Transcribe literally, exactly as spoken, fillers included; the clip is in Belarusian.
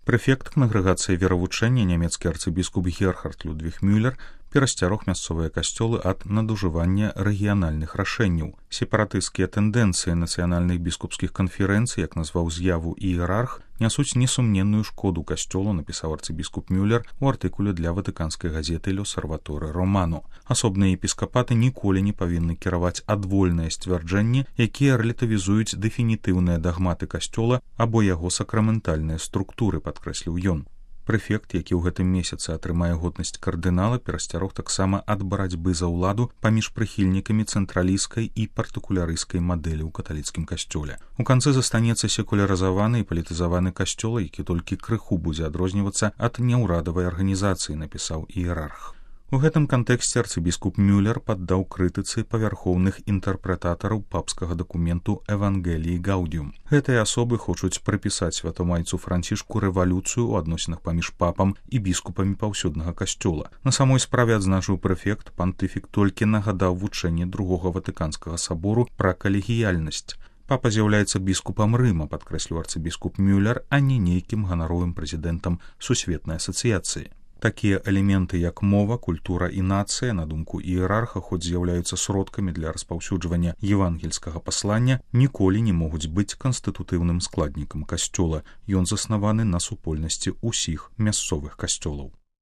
Прэфект кангрэгацыі веравучэння нямецкі арцыбіскуп Герхард Людвіг Мюллер перасцярог мясцовыя касцёлы ад надужывання рэгіянальных рашэнняў. Сепаратысцкія тэндэнцыі нацыянальных біскупскіх канферэнцый, як назваў з'яву іерарх, нясуць несумненную шкоду касцёлу, напісаў арцыбіскуп Мюллер у артыкуле для ватыканскай газеты «L'Osservatore Romano». Асобныя епіскапаты ніколі не павінны кіраваць адвольныя сцвярджэнні, якія рэлятывізуюць дэфінітыўныя дагматы касцёла або яго сакраментальныя структуры, падкрэсліў ён. Прэфект, які ў гэтым месяцы атрымае годнасць кардынала, перасцярог таксама ад барацьбы за ўладу паміж прыхільнікамі цэнтралісцкай і партыкулярысцкай мадэлі ў каталіцкім касцёле. У канцы застанецца секулярызаваны і палітызаваны касцёл, які толькі крыху будзе адрознівацца ад няўрадавай арганізацыі, напісаў іерарх. У гэтым кантэксце арцыбіскуп Мюллер паддаў крытыцы павярхоўных інтэрпрэтатараў папскага дакументу «Евангеліі Гаудіум». Гэтыя асобы хочуць прыпісаць святамайцу Францішку рэвалюцыю ў адносінах паміж папам і біскупамі паўсюднага касцёла. На самой справе, адзначыў прэфект, пантыфік толькі нагадаў вучэнне другога ватыканскага сабору пра калегіяльнасць. Папа з'яўляецца біскупам Рыма, падкрэсліў арцыбіскуп Мюллер, а не нейкім ганаровым прэзідэнтам сусветнай асацыяцыі. Такія элементы, як мова, культура і нацыя, на думку іерарха, хоць з'яўляюцца сродкамі для распаўсюджвання евангельскага паслання, ніколі не могуць быць канстытутыўным складнікам касцёла. Ён заснаваны на супольнасці ўсіх мясцовых касцёлаў.